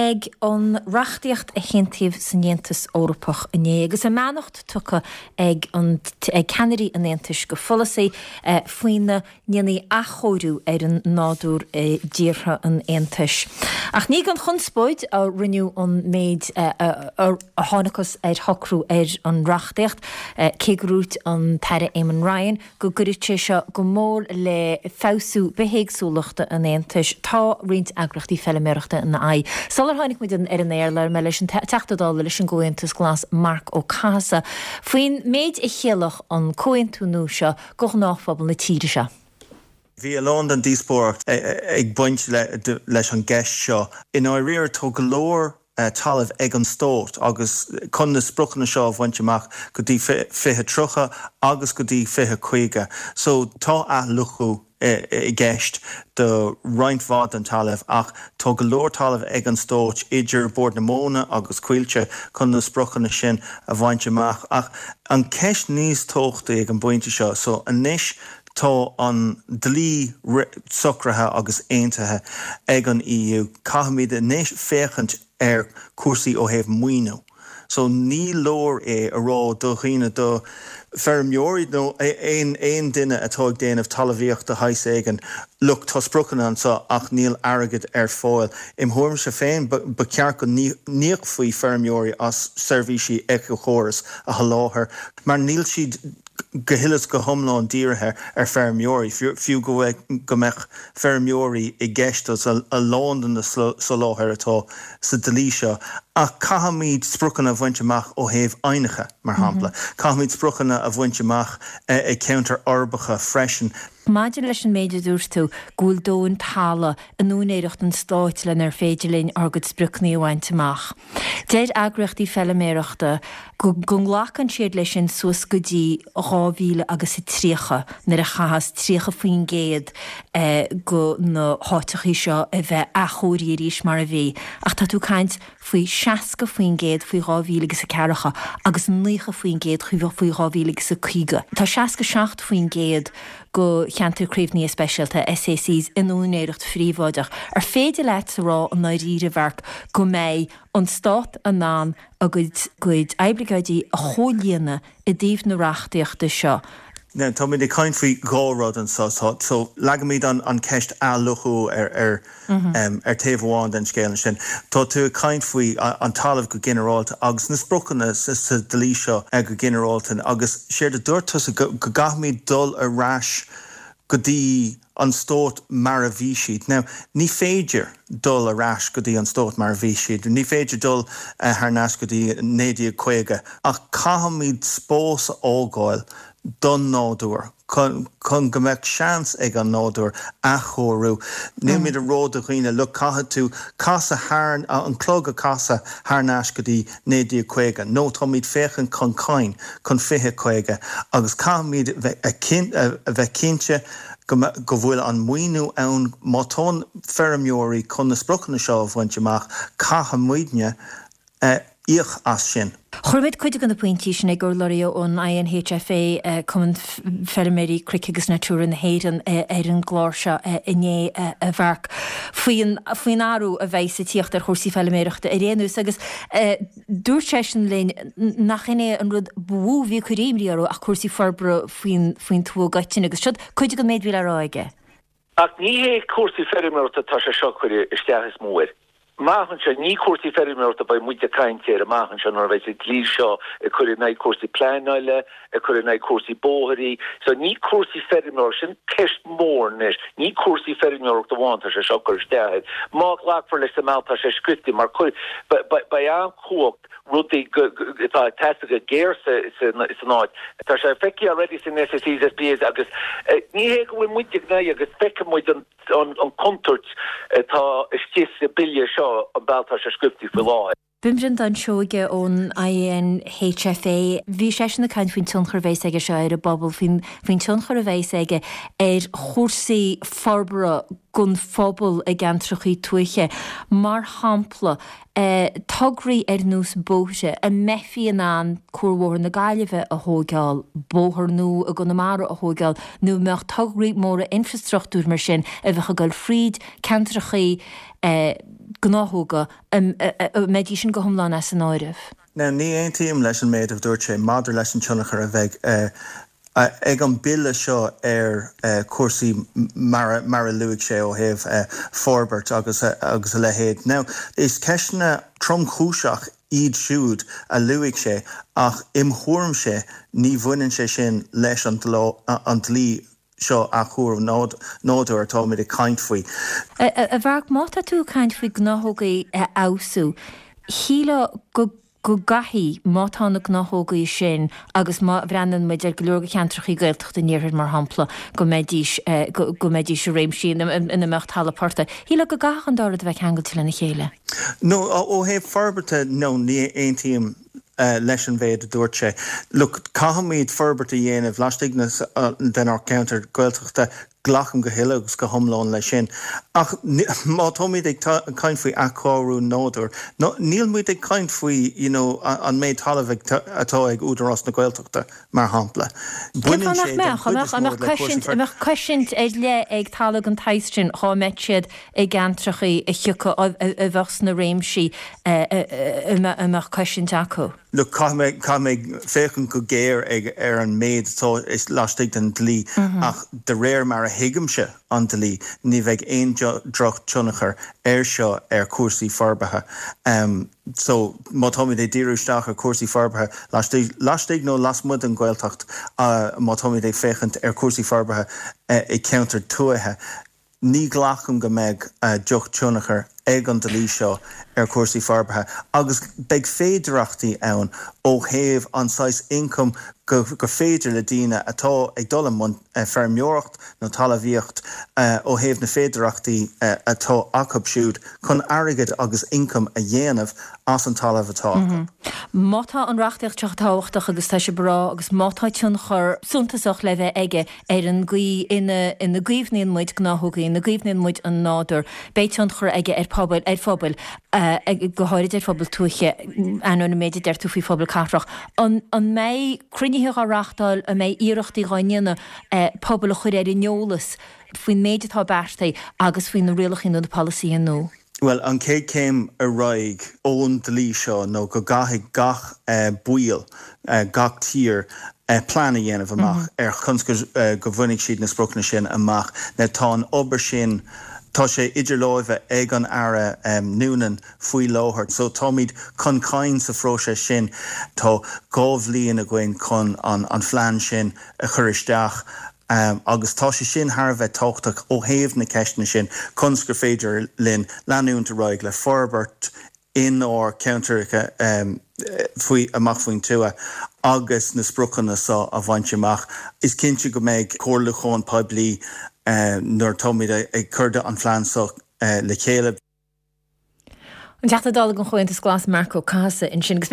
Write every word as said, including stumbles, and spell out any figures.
Ag an reachtaíocht a haontaíodh san Aontas Eorpach inné agus a mbeannacht tugtha ag an ag ceannairí an Aontais go follasaí eh, faoina ndéanfaí athchóiriú ar an nádúr i dtíortha an Aontais. Ach ní gan chonspóid a rinneadh an méid eh, a, a, a thángthas ar shocrú ar an reachtaíocht, eh, cé gur dhúirt an tAire Eamon Ryan go gcuirfeadh sé seo go mór le feabhsú bithéagsúlachta an Aontais tá roinnt eagraíochtaí feilméarachta ina aghaidh. Sular tháinig muid ar an aer labhair mé leis an Teachta Dála leis an gComhaontas Glas Marc Ó Cathasaigh. Faoin méid a chiallódh an comhaontú nua seo do ghnáthphobal na tíre seo. Bhí a lán den díospóireacht ag baint leis an gceist seo. I ndáiríre tá go leor talamh ag an stát agus chun na spriocanna seo a bhaint amach go dtí fiche tríocha agus go dtí fiche caoga. So tá athluchú i gceist do roinnt mhaith den talamh ach tá go leor talamh ag an stát idir Bord na Móna agus Coillte chun na spriocanna sin a bhaint amach ach an ceist níos tábhachtaí ag an bpointe seo so anois tá an dlí socraithe agus aontaithe ag an EU caithfimid anois féachaint ar cúrsaí ó thaobh maoiniú. So ní leor é a rá do dhaoine do feirmeoirí nó aon aon duine atá ag déanamh talmhaíochta de shaghas éigin look tá spriocanna anseo ach níl airgead ar fáil. Im thuairimse féin ba cheart go n-íocfaí feirmeoirí as seirbhísí éiceachóras a sholáthar, mar níl siad go huile is go hiomlán dírithe ar feirmeoirí, fiú go go mbeadh feirmeoirí i gceist as a lán den na soláthair atá sa dlí seo. Ach caithfimid spriocanna a bhaint amach ó thaobh aibhneacha mar shampla. Caithfimid spriocanna a bhaint amach i gceantair uirbeacha freisin. Maidir leis an méid a dúirt tú go bhfuil dóthain talaimh in úinéireacht an stáit lenar féidir linn ár gcuid spriocanna a bhaint amach. Deir eagraíochtaí feilméarachta go nglacann siad leis sin suas go dtí dhá mhíle agus a tríocha nuair a chaithfeas tríocha faoin gcéad go na háiteachaí seo a bheith athchóirithe arís mar a bhí. Ach tá tú ag caint faoi seasca faoin gcéad faoi dhá mhíle agus a ceathracha agus naocha faoin gcéad faoi dhá mhíle agus a caoga. Tá seasca seacht faoin gcéad go cheantar caomhnaithe speisialta SACs in úinéireacht phríobháideach. Ar féidir leat a rá i ndáiríre a Mharc go mbeidh an stát in ann a gcuid gcuid oibleagáidí a chomhlíonadh i dtaobh na reachtaíochta seo. Now, tá muid ag caint faoi dhá rud anseo so leagaimid an an ceist athluchú ar ar mm -hmm. um, ar taobh amháin den scéal sin. Tá tú ag caint faoi an talamh go ginearálta agus na spriocanna sa, sa dlí seo go ginearálta agus séard a dúirt tusa go, go gcaithfimid dul ar ais go dtí an stát mar a bhí siad. Now, ní féidir dul ar ais go dtí an stát mar a bhí siad. Ní féidir dul uh, thar n-ais go dtí naoi déag caoga ach caithfimid spás a fhágáil don nádúr chun go mbeadh seans ag an nádúr athchóiriú. Nílimid ag rá do dhaoine look caithfidh tú casadh thar an clog a casadh thar n-ais go dtí naoi déag caoga. Nó táimid féachaint chun cinn chun fiche caoga agus caithfimid a bheith cinnte go go bhfuil an maoiniú ann má tá feirmeoirí chun na spriocanna seo a bhaint amach caithfimidne íoc as sin. Chuir muid cuid de na pointí sin ag urlabhraí ón INHFA Cumann Feirmeoirí Cnoic agus Natura na hÉireann ar an gclár seo inné a Mharc faoin faoin athrú a bheidh ag tíocht ar chúrsaí feilméarachta ar aon nós agus dúirt seisean linn nach in é an rud ba mhó a bhí ag cur imní orthu ach cúrsaí forbartha faoin faoin tuath i gcoitinne agus seo cuid den méid a bhí le rá aige. Ach ní hé cúrsaí feirmeoireachta tá sé seo chuir isteach is mó air. Amach anseo ní cúrsaí feirmeoireachta beidh muid ag caint air amach anseo nuair a bheidh an dlí seo ag cur in aghaidh cúrsaí pleanála, ag cur in aghaidh cúrsaí bóithrí, so ní cúrsaí feirmeoireachta sin ceist mhór anois, ní cúrsaí feirmeoireachta amháin tá sé seo cur isteach air. Má ghlacfar leis sa mbealach tá sé scriofa mar chuir beidh an-chumhacht rudaí atá ag teastáil go géar san áit. Tá sé feicthe already san SACs, SPAs agus ní hé go bhfuil muid ag náire agus feicfidh muid an an contúirt atá istigh sa bille seo an bealach tá sé scriofa faoi láthair. B'in Breandán Seoige ón INHFA. Bhí seisean ag caint faoin tionchar a bheas aige seo ar an bpobal, faoin faoin tionchar a bheas aige ar chúrsaí forbartha don phobal i gceantrachaí tuaithe. Mar shampla, tograí ar nós bóithre, an mbeifí in ann Cuarbhóthar na Gaillimhe a thóigeáil, bóthar nua i gConamara a thóigeáil, nó an mbeadh tograí móra infreastruchtúir mar sin a bheadh ag dul fríd ceantrachaí gnáthóga, an mbeidís sin go hiomlán as an áireamh? Now, ní aontaím leis an méid a dúirt sé maidir leis an tionchar a bheidh ag an bille seo ar chúrsaí mar mar a luaigh sé ó thaobh forbairt agus agus a leithéid. Now, is ceisteanna tromchúiseach iad siúd a luaigh sé ach im thuairimse ní bhaineann sé sin leis an an dlí seo athchóiriú nádúir atáimid ag caint faoi. A Mharc, má tá tú ag caint faoi gnáthógaí a fheabhsú, shílfeá go go gcaithfidh, má tá na gnáthógaí sin agus má bhreathnaíonn muid ar go leor de cheantrachaí Gaeltachta an iarthair mar shampla, go mbeidís, go mbeidís i réimsí ina mbeadh talamh portaigh. Shílfeá go gcaithfeadh an dá rud a bheith ceangailte lena chéile. No, ó thaobh forbartha, no, ní aontaím leis an mhéid a dúirt sé. Look, caithfimid forbairt a dhéanamh laistigh denár gceantar Gaeltachta, glacaim go huile agus go hiomlán leis sin. Ach má táimid ag caint faoi athchóiriú nádúir, níl muid ag caint faoi you know an méid talaimh atá ag Údarás na Gaeltachta, mar shampla. Baineann sé den chuid is mó le cúrsaí. An mbeadh cosaint ar leith ag talamh den tsaghas sin dhá mbeadh siad i gceantrachaí a thiocfadh, a bheadh sna réimsí a mbeadh cosaint acu? Look, caithfidh mé, caithfidh mé féachaint go géar ag, ar an méid atá laistigh den dlí ach de réir mar a thuigimse an dlí, ní bheidh aon drochthionchar air seo ar chúrsaí forbartha. So, má táimid ag díriú isteach ar chúrsaí forbartha laistigh, laistigh nó lasmuigh den Ghaeltacht, má táimid ag féachaint ar chúrsaí forbartha i gceantair tuaithe, Ní ghlacaim go mbeidh drochthionchar ag an dlí seo ar chúrsaí forbartha agus beidh féidearthachtaí ann ó thaobh an saghas ioncaim go gur féidir le daoine atá ag dul i mbun feirmeoireacht nó talmhaíocht ó thaobh na féidearthachtaí atá acu siúd chun airgead agus ioncam a dhéanamh as an talamh atá acu. Má tá an reachtaíocht seo tábhachtach agus tá sibh ag rá agus má tá tionchar suntasach le bheith aige ar an gcaoi ina ina gcaomhnaíonn muid gnáthógaí, ina gcaomhnaíonn muid an nádúr, beidh tionchar aige ar phobail, ar phobail, go háirid ar phobail tuaithe, ainneoin an méid a deir tú faoi phobail cathrach. An an mbeidh cruinnithe á reáchtáil, an mbeidh iarrachtaí á ndéanamh pobail a chur ar an eolas faoin méid atá beartaithe agus faoi na rialacha nó na polasaithe nua? Bhuel, an chéad chéim ar aghaidh ón dlí seo nó go gcaithfidh gach baill, gach tír, plean a dhéanamh amach ar conas go bhainfidh siad na spriocanna sin amach. Now tá an obair sin, tá sé idir láimhe ag an Aire Noonan faoi láthair so táimid chun cinn sa phróiseas sin. Tá dhá bhliain againn chun an phlean sin a chur isteach. Agus tá sé sin thar a bheith tábhachtach ó thaobh na ceisteanna sin, conas gur féidir linn leanúint ar aghaidh le forbairt inár gceantracha faoi amach faoin tuath agus na spriocanna seo a bhaint amach. Is cinnte go mbeidh comhairliúchán poiblí nuair atáimid ag cur an phlean seo le chéile. An Teachta Dála don Chomhaontas Glas Marc Ó Cathasaigh ansin.